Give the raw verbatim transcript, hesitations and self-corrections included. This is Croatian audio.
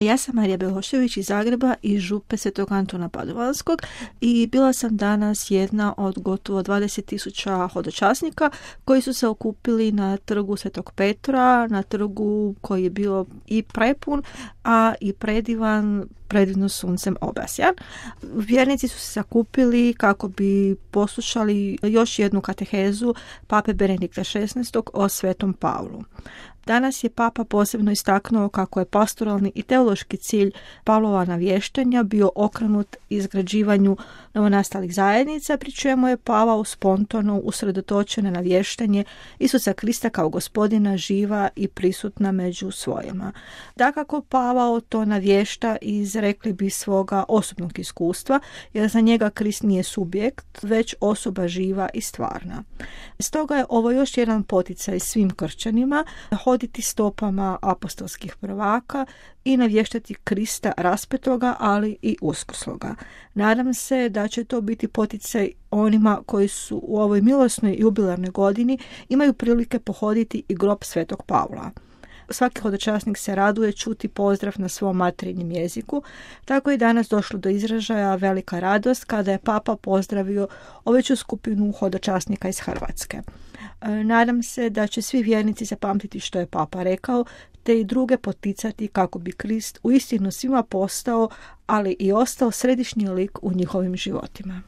Ja sam Marija Belošević iz Zagreba i župe Svetog Antuna Padovanskog i bila sam danas jedna od gotovo dvadeset tisuća hodočasnika koji su se okupili na trgu Svetog Petra, na trgu koji je bio i prepun, a i predivan, predivno suncem obasjan. Vjernici su se sakupili kako bi poslušali još jednu katehezu pape Benedikta šesnaestog o Svetom Pavlu. Danas je papa posebno istaknuo kako je pastoralni i teološki cilj Pavlova navještanja bio okrenut izgrađivanju novonastalih zajednica, pri čemu je Pavao spontano usredotočen na navještanje Isusa Krista kao gospodina živa i prisutna među svojima. Dakako, Pavao to navješta iz, rekli bi, svoga osobnog iskustva, jer za njega Krist nije subjekt, već osoba živa i stvarna. Stoga je ovo još jedan poticaj svim kršćanima hoditi stopama apostolskih prvaka i navještati Krista raspetoga, ali i uskrsloga. Nadam se da će to biti poticaj onima koji su u ovoj milosnoj jubilarnoj godini imaju prilike pohoditi i grob Svetog Pavla. Svaki hodočasnik se raduje čuti pozdrav na svom materinjem jeziku, tako je danas došlo do izražaja velika radost kada je papa pozdravio oveću skupinu hodočasnika iz Hrvatske. Nadam se da će svi vjernici zapamtiti što je papa rekao, te i druge poticati kako bi Krist uistinu svima postao, ali i ostao središnji lik u njihovim životima.